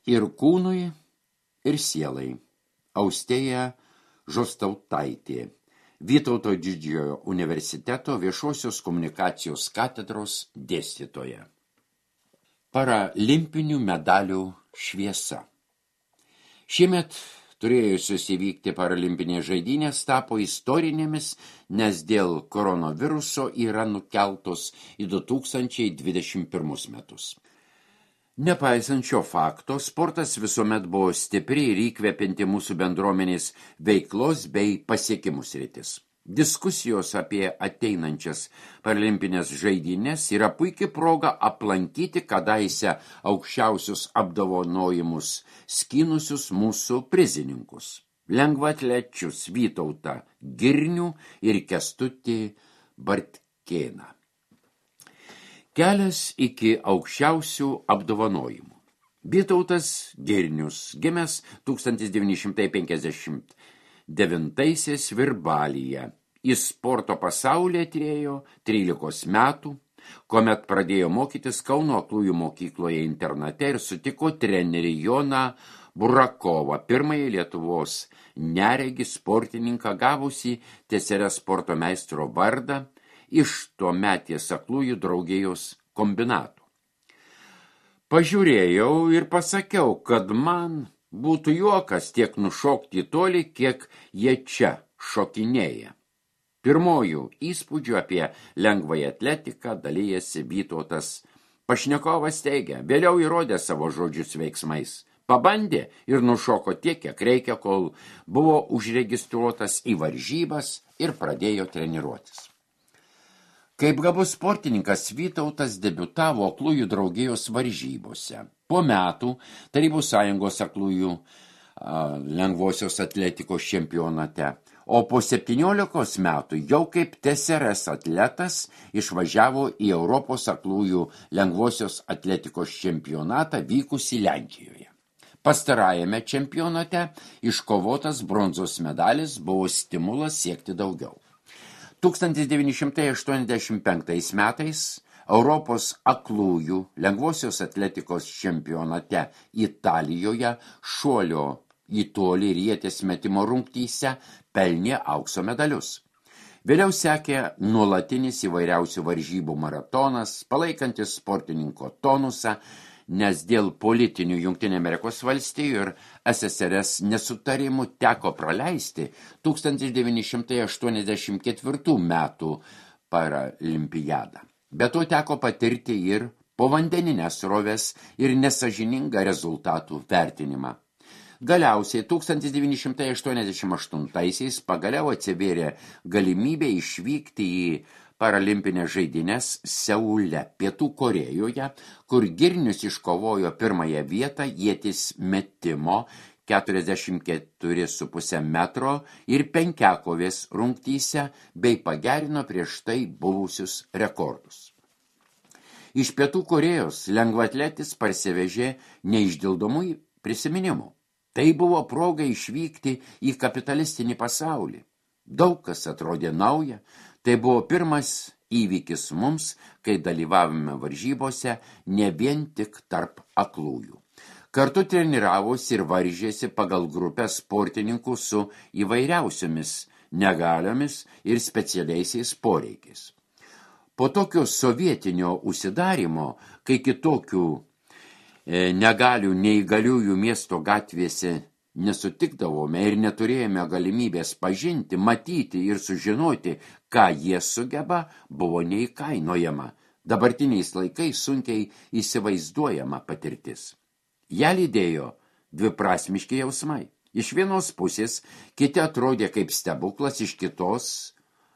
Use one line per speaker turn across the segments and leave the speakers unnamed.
Ir kūnui, ir sielai. Austėja Žostautaitė, Vytauto Didžiojo universiteto viešosios komunikacijos katedros dėstytoja. Paralimpinių medalių šviesa. Šiemet turėjusios įvykti paralimpinės žaidynės tapo istorinėmis, nes dėl koronaviruso yra nukeltos į 2021 metus. Nepaisant šio fakto, sportas visuomet buvo stipri ir įkvepianti mūsų bendruomenės veiklos bei pasiekimų sritis. Diskusijos apie ateinančias paralimpinės žaidynės yra puikia proga aplankyti kadaise aukščiausius apdovanojimus skynusius mūsų prizininkus. Lengvaatlečius Vytautą Girnių ir Kęstutį Bartkėną. Kelias iki aukščiausių apdovanojimų. Vytautas Girnius, gimęs 1959 Virbalyje, į sporto pasaulį atėjo 13 metų, kuomet pradėjo mokytis Kauno aklųjų mokykloje internate ir sutiko trenerį Joną Burakovą, pirmąjį Lietuvos neregį sportininką gavusį TSR sporto meistro vardą iš tuometės aklųjų draugijos kombinatų. Pažiūrėjau ir pasakiau, kad man būtų juokas tiek nušokti toli, kiek jie čia šokinėja. Pirmojų įspūdžių apie lengvąją atletiką dalijasi Vytautas. Pašnekovas teigia, vėliau įrodė savo žodžius veiksmais. Pabandė ir nušoko tiek, kiek reikia, kol buvo užregistruotas į varžybas ir pradėjo treniruotis. Kaip gabus sportininkas Vytautas debiutavo aklųjų draugijos varžybose. Po metų Tarybų Sąjungos aklųjų lengvosios atletikos čempionate, o po 17 metų jau kaip TSRS atletas išvažiavo į Europos aklųjų lengvosios atletikos čempionatą vykusį Lenkijoje. Pastarajame čempionate iškovotas bronzos medalis buvo stimulas siekti daugiau. 1985 metais Europos aklųjų lengvosios atletikos čempionate Italijoje šuolio į tolį ir ieties metimo rungtyse pelnė aukso medalius. Vėliau sekė nuolatinis įvairiausių varžybų maratonas, palaikantis sportininko tonusą, nes dėl politinių Jungtinių Amerikos valstijų ir SSRS nesutarimų teko praleisti 1984 metų paralimpiadą. Be to teko patirti ir povandeninės sroves ir nesažiningą rezultatų vertinimą. Galiausiai 1988 pagaliau atsivėrė galimybė išvykti į paralimpinės žaidynės Seule, Pietų Korėjoje, kur Girnius iškovojo pirmąją vietą ieties metimo 44,5 metro ir penkiakovės rungtyse bei pagerino prieš tai buvusius rekordus. Iš Pietų Korėjos lengvaatletis parsivežė neišdildomų prisiminimų. Tai buvo proga išvykti į kapitalistinį pasaulį. Daug kas atrodė nauja. Tai buvo pirmas įvykis mums, kai dalyvavome varžybose ne vien tik tarp aklųjų. Kartu treniravosi ir varžėsi pagal grupę sportininkų su įvairiausiomis negaliomis ir specialiaisiais poreikiais. Po tokio sovietinio užsidarymo, kai kitokių negalių neįgaliųjų miesto gatvėse nesutikdavome ir neturėjome galimybės pažinti, matyti ir sužinoti, ką jie sugeba, buvo neįkainojama. Dabartiniais laikais sunkiai įsivaizduojama patirtis. Ja lydėjo dviprasmiški jausmai. Iš vienos pusės kiti atrodė kaip stebuklas, iš kitos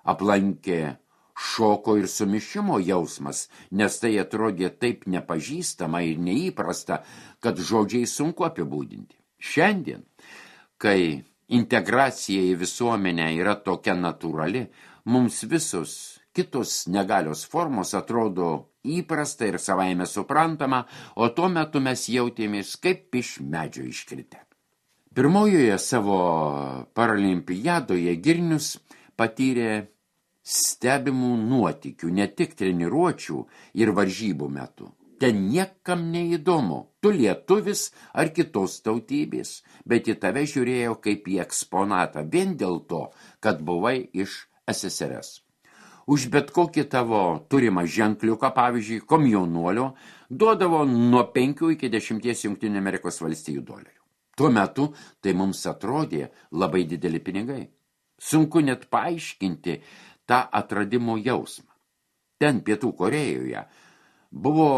aplankė šoko ir sumišimo jausmas, nes tai atrodė taip nepažįstama ir neįprasta, kad žodžiai sunku apibūdinti. Šiandien, kai integracija į visuomenę yra tokia natūrali, mums visos kitos negalios formos atrodo įprasta ir savaime suprantama, o tuo metu mes jautėmės kaip iš medžio iškritę. Pirmojoje savo paralimpiadoje Girnius patyrė stebimų nuotykių ne tik treniruočių ir varžybų metu. ten niekam neįdomu, tu lietuvis ar kitos tautybės, bet į tave žiūrėjo kaip į eksponatą vien dėl to, kad buvai iš SSRS. Už bet kokį tavo turimą ženkliuką, pavyzdžiui, komjaunuolio, duodavo nuo 5 iki 10 Jungtinių Amerikos valstijų dolerių. Tuo metu tai mums atrodė labai dideli pinigai. Sunku net paaiškinti tą atradimo jausmą. Ten Pietų Korėjoje buvo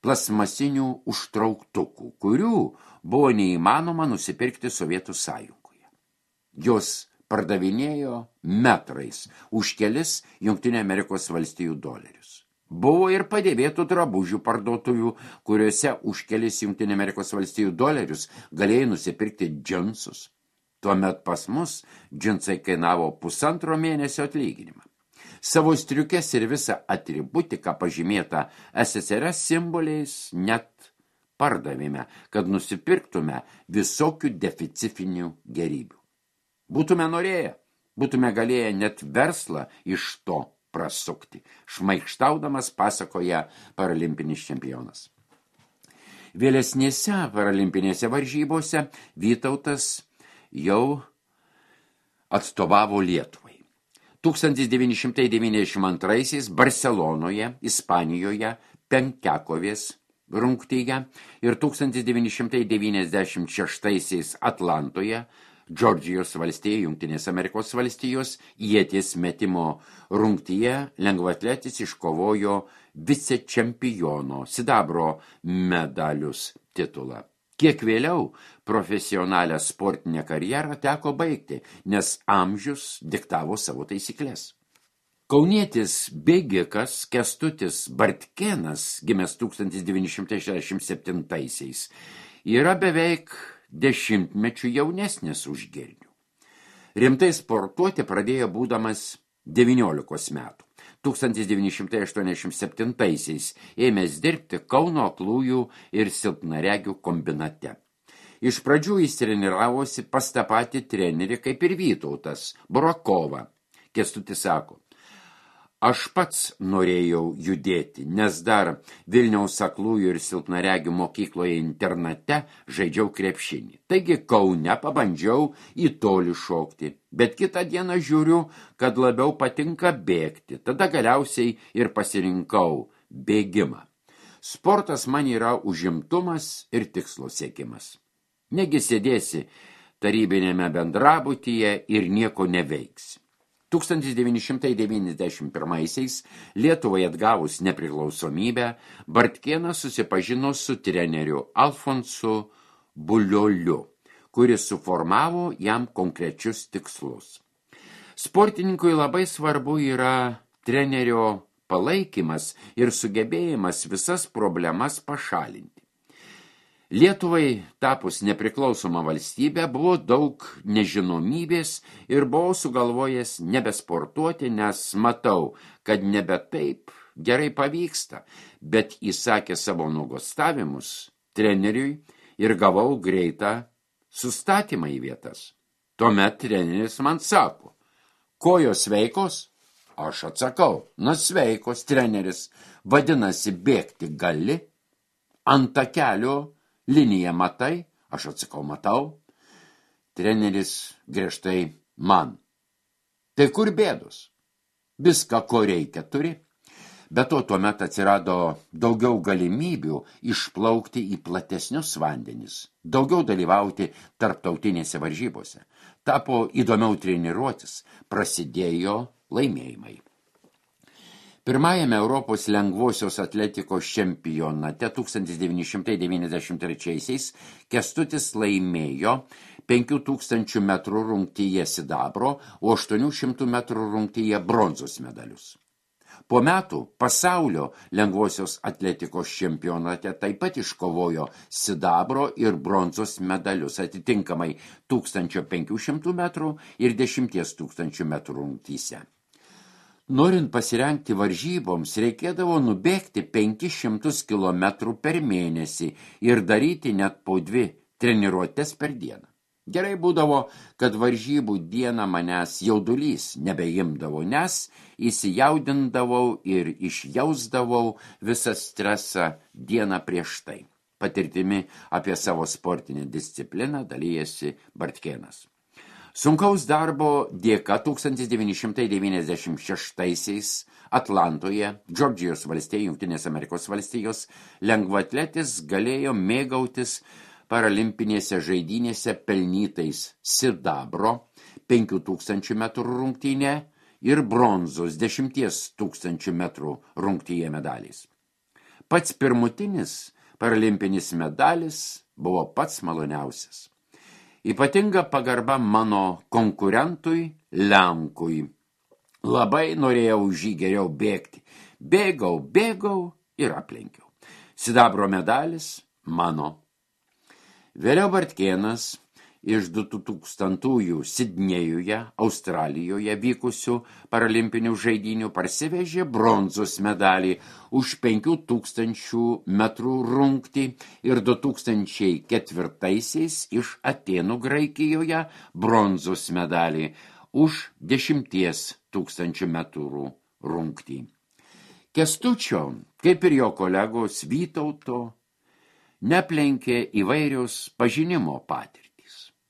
plasmasinių užtrauktukų, kurių buvo neįmanoma nusipirkti Sovietų Sąjungoje. Jos pardavinėjo metrais už kelis Jungtinių Amerikos valstijų dolerius. Buvo ir padėvėtų drabužių parduotuvių, kuriuose už kelis Jungtinių Amerikos valstijų dolerius galėjai nusipirkti džinsus. Tuomet pas mus džinsai kainavo 1,5 mėnesio atlyginimą. Savo striukes ir visą atributiką pažymėtą SSRS simboliais net pardavėme, kad nusipirktume visokių deficitinių gerybių. Būtume norėję, būtume galėję net verslą iš to prasukti, šmaikštaudamas pasakoja paralimpinis čempionas. Vėlesnėse paralimpinėse varžybose Vytautas jau atstovavo Lietuvai. 1992 Barcelonoje, Ispanijoje, penkiakovės rungtyje ir 1996 Atlantoje, Džordžijos valstija, Jungtinės Amerikos valstijos, ieties metimo rungtyje lengvaatletis iškovojo vicečempiono sidabro medalius titulą. Kiek vėliau profesionalią sportinę karjerą teko baigti, nes amžius diktavo savo taisyklės. Kaunietis bėgikas Kęstutis Bartkėnas, gimęs 1967, yra beveik 10 mečių jaunesnis už Girnių. Rimtai sportuoti pradėjo būdamas 19 metų. 1987 ėmęs dirbti Kauno aklųjų ir silpnaregių kombinate. Iš pradžių jis treniravosi pas tą patį trenerį kaip ir Vytautas, Burakovą. Kęstutis sako, aš pats norėjau judėti, nes dar Vilniaus aklųjų ir silpnaregių mokykloje internate žaidžiau krepšinį. Taigi Kaune pabandžiau į tolį šokti, bet kitą dieną žiūriu, kad labiau patinka bėgti. Tada galiausiai ir pasirinkau bėgimą. Sportas man yra užimtumas ir tikslo siekimas. Negi sėdėsi tarybinėme bendrabutyje ir nieko neveiksi. 1991 Lietuvai atgavus nepriklausomybę, Bartkėnas susipažino su treneriu Alfonsu Bulioliu, kuris suformavo jam konkrečius tikslus. Sportininkui labai svarbu yra trenerio palaikymas ir sugebėjimas visas problemas pašalinti. Lietuvai tapus nepriklausoma valstybė buvo daug nežinomybės ir buvau sugalvojęs nebesportuoti, nes matau, kad nebe taip gerai pavyksta, bet įsakė savo nuogąstavimus treneriui ir gavau greitą sustatymą į vietas. Tuomet treneris man sako, kojos sveikos? Aš atsakau, na sveikos, treneris, vadinasi bėgti gali, ant takelio liniją matai? Aš atsakau, matau. Treneris griežtai man. Tai kur bėdos? Viską, ko reikia, turi. Be to, tuomet atsirado daugiau galimybių išplaukti į platesnius vandenis, daugiau dalyvauti tarptautinėse varžybose. Tapo įdomiau treniruotis, prasidėjo laimėjimai. Pirmajame Europos lengvosios atletikos čempionate 1993 Kęstutis laimėjo 5000 metrų rungtyje sidabro, o 800 metrų rungtyje bronzos medalius. Po metų pasaulio lengvosios atletikos čempionate taip pat iškovojo sidabro ir bronzos medalius, atitinkamai 1500 metrų ir 10 000 metrų rungtyse. Norint pasirengti varžyboms, reikėdavo nubėgti 500 km per mėnesį ir daryti net po 2 treniruotes per dieną. Gerai būdavo, kad varžybų dieną manęs jaudulys nebeimdavo, nes įsijaudindavau ir išjausdavau visą stresą dieną prieš tai. Patirtimi apie savo sportinę discipliną dalyjasi Bartkėnas. Sunkaus darbo dėka 1996-aisiais Atlantoje, Džordžijos valstijos, Jungtinės Amerikos valstijos, lengvaatletis galėjo mėgautis paralimpinėse žaidynėse pelnytais sidabro 5000 metrų rungtyne ir bronzos 10 000 metrų rungtyje medaliais. Pats pirmutinis paralimpinis medalis buvo pats maloniausias. Ypatinga pagarba mano konkurentui Lenkui. Labai norėjau už jį geriau bėgti. Bėgau ir aplenkiau. Sidabro medalis mano. Vėliau Bartkėnas iš 2000-ųjų Sidnėjuje, Australijoje vykusių paralimpinių žaidynių parsivežė bronzos medalį už 5000 metrų rungtį ir 2004-aisiais iš Atėnų Graikijoje bronzos medalį už 10 000 metrų rungtį. Kęstučio, kaip ir jo kolegos Vytauto, neplenkė įvairios pažinimo patirtys.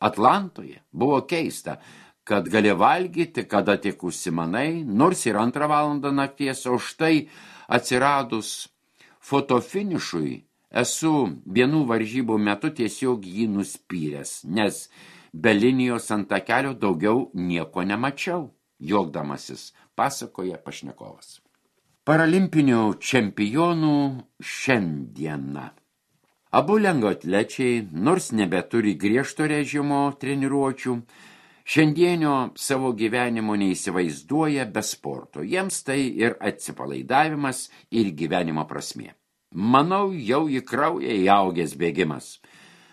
Atlantoje buvo keista, kad gali valgyti, kada tik užsimanai, nors ir 2 valandą nakties, o štai atsiradus fotofinišui esu vienų varžybų metu tiesiog jį nuspyręs, nes be linijos ant takelio daugiau nieko nemačiau, juokdamasis, pasakoja pašnekovas. Paralimpinių čempionų šiandieną. Abu lengvaatlečiai, nors nebeturi griežto režimo treniruočių, šiandienio savo gyvenimo neįsivaizduoja be sporto. Jiems tai ir atsipalaidavimas, ir gyvenimo prasmė. Manau, jau į kraują įaugęs bėgimas.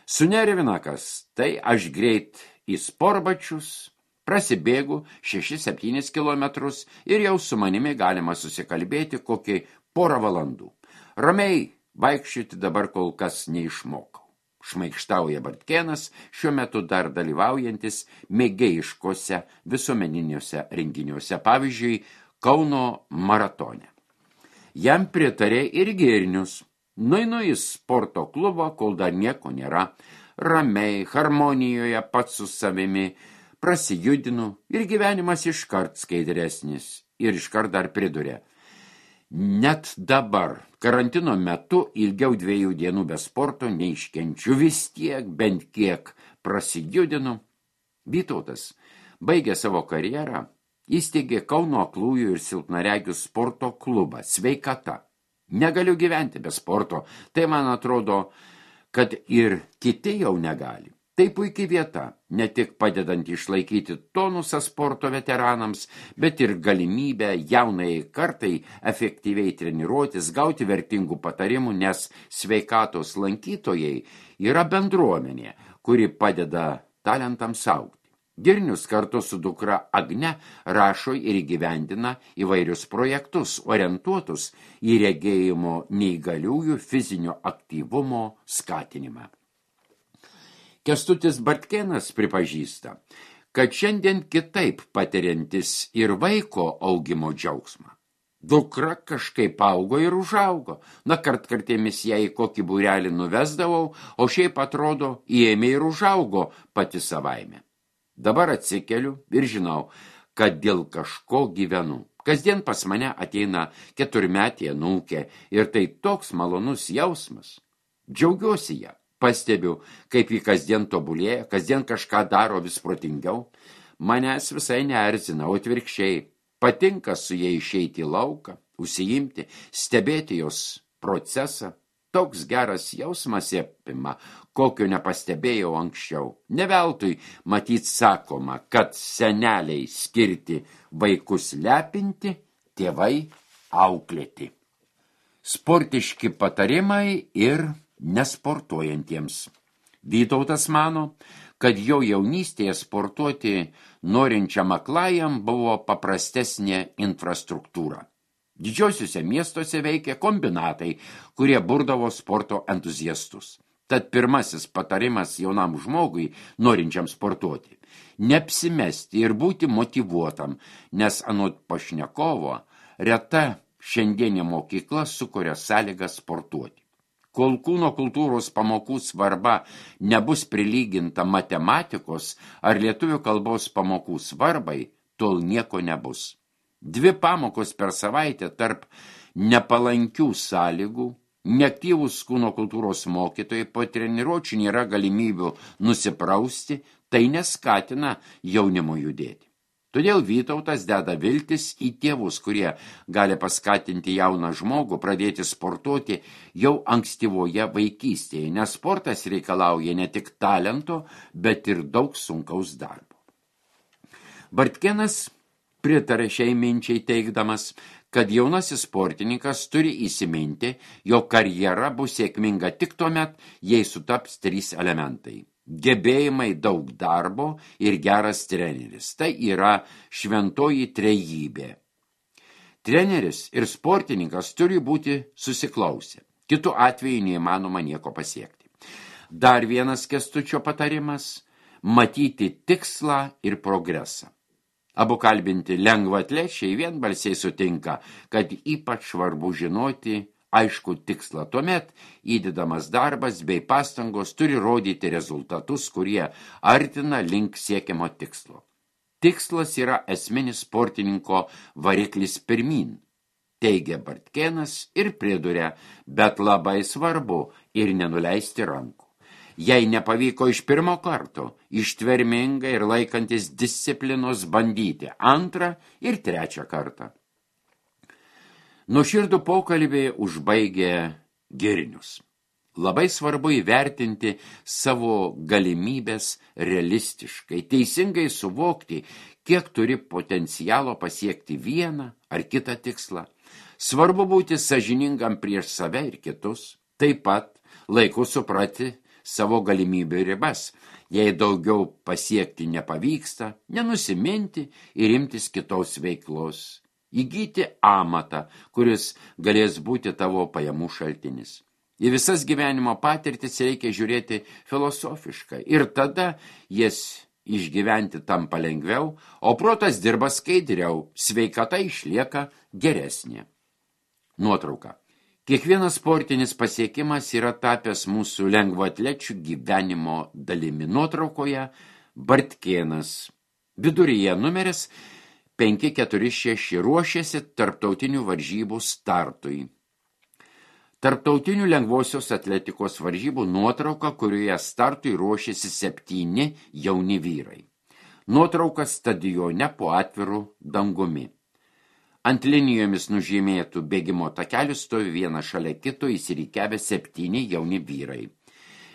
Sunervina kas, tai aš greit į sportbačius, prasibėgu 6-7 kilometrus ir jau su manimi galima susikalbėti kokį 1,5 valandų. Ramiai vaikščioti dabar kol kas neišmokau. Šmaikštauja Bartkėnas, šiuo metu dar dalyvaujantis mėgėjiškose visuomeniniuose renginiuose, pavyzdžiui, Kauno maratone. Jam pritarė ir Girnius. Nueinu į sporto klubą, kol dar nieko nėra. Ramiai, harmonijoje pats su savimi prasijudinu ir gyvenimas iškart skaidresnis. Ir iškart dar priduria. Net dabar, karantino metu, ilgiau 2 dienų be sporto neiškenčiu, vis tiek, bent kiek prasijudinu. Vytautas baigė savo karjerą, įsteigė Kauno aklųjų ir silpnaregių sporto klubą Sveikata. Negaliu gyventi be sporto, tai man atrodo, kad ir kiti jau negali. Tai puikiai vieta, ne tik padedant išlaikyti tonusą sporto veteranams, bet ir galimybę jaunai kartai efektyviai treniruotis, gauti vertingų patarimų, nes sveikatos lankytojai yra bendruomenė, kuri padeda talentams augti. Girnius kartu su dukra Agne rašo ir įgyvendina įvairius projektus, orientuotus į regėjimo neįgaliųjų fizinio aktyvumo skatinimą. Kęstutis Bartkėnas pripažįsta, kad šiandien kitaip patiriantis ir vaiko augimo džiaugsmą. Dukra kažkaip augo ir užaugo. Kartkartėmis ją į kokį būrelį nuvesdavau, o šiaip atrodo, įėmė ir užaugo pati savaime. Dabar atsikeliu ir žinau, kad dėl kažko gyvenu. Kasdien pas mane ateina 4-metė anūkė ir tai toks malonus jausmas. Džiaugiuosi ją. Pastebiu, kaip jį kasdien tobulėja, kasdien kažką daro vis protingiau. Manęs visai neerzina, o atvirkščiai. Patinka su jai išeiti į lauką, užsiimti, stebėti jos procesą. Toks geras jausmas apima, kokio nepastebėjau anksčiau. Ne veltui matyt sakoma, kad seneliai skirti vaikus lepinti, tėvai auklėti. Sportiški patarimai ir nesportuojantiems. Vytautas mano, kad jo jaunystėje sportuoti norinčiam aklajam buvo paprastesnė infrastruktūra. Didžiosiuose miestuose veikė kombinatai, kurie burdavo sporto entuziastus. Tad pirmasis patarimas jaunam žmogui, norinčiam sportuoti – neapsimesti ir būti motyvuotam, nes anot pašnekovo reta šiandienė mokykla sukuria sąlygas sportuoti. Kol kūno kultūros pamokų svarba nebus prilyginta matematikos ar lietuvių kalbos pamokų svarbai, tol nieko nebus. 2 pamokos per savaitę tarp nepalankių sąlygų, neaktyvūs kūno kultūros mokytojai, po treniruočių nėra galimybių nusiprausti, tai neskatina jaunimo judėti. Todėl Vytautas deda viltis į tėvus, kurie gali paskatinti jauną žmogų pradėti sportuoti jau ankstyvoje vaikystėje, nes sportas reikalauja ne tik talento, bet ir daug sunkaus darbo. Bartkėnas pritarė šiai minčiai teigdamas, kad jaunasis sportininkas turi įsiminti, jo karjera bus sėkminga tik tuomet, jei sutaps 3 elementai. Gebėjimai, daug darbo ir geras treneris. Tai yra šventoji trejybė. Treneris ir sportininkas turi būti susiklausę. Kitu atveju neįmanoma nieko pasiekti. Dar vienas Kęstučio patarimas – matyti tikslą ir progresą. Abu kalbinti lengvaatlečiai vienbalsiai sutinka, kad ypač svarbu žinoti aišku tikslą. Tuomet įdedamas darbas bei pastangos turi rodyti rezultatus, kurie artina link siekiamo tikslo. Tikslas yra esminis sportininko variklis pirmin, teigia Bartkėnas ir priduria, bet labai svarbu ir nenuleisti rankų. Jei nepavyko iš pirmo karto, ištvermingai ir laikantis disciplinos bandyti 2 ir 3 kartą. Nuoširdų pokalbį užbaigė Girnius. Labai svarbu įvertinti savo galimybės realistiškai, teisingai suvokti, kiek turi potencialo pasiekti vieną ar kitą tikslą. Svarbu būti sąžiningam prieš save ir kitus, taip pat laiku suprati savo galimybių ribas. Jei daugiau pasiekti nepavyksta, nenusiminti ir imtis kitos veiklos. Įgyti amatą, kuris galės būti tavo pajamų šaltinis. Į visas gyvenimo patirtis reikia žiūrėti filosofiškai ir tada jas išgyventi tampa lengviau, o protas dirba skaidriau, sveikata išlieka geresnė. Nuotrauka. Kiekvienas sportinis pasiekimas yra tapęs mūsų lengvaatlečių gyvenimo dalimi. Nuotraukoje Bartkėnas. Viduryje numeris 546 ruošiasi tarptautinių varžybų startui. Tarptautinių lengvosios atletikos varžybų nuotrauka, kurioje startui ruošiasi 7 jauni vyrai. Nuotrauka stadione po atviru dangumi. Ant linijomis nužymėtų bėgimo takelių stovi vienas šalia kito įsirikiavę 7 jauni vyrai.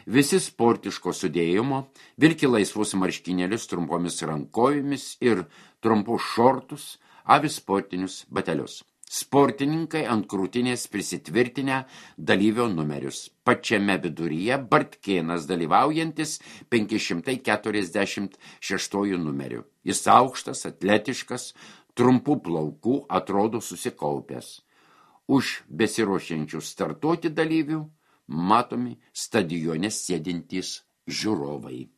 Visi sportiško sudėjimo, vilki laisvus marškinėlius trumpomis rankovėmis ir trumpus šortus, avi sportinius batelius. Sportininkai ant krūtinės prisitvirtinę dalyvio numerius. Pačiame viduryje Bartkėnas dalyvaujantis 546 numeriu. Jis aukštas, atletiškas, trumpų plaukų, atrodo susikaupęs. Už besiruošiančių startuoti dalyvių matomi stadione sėdintys žiūrovai.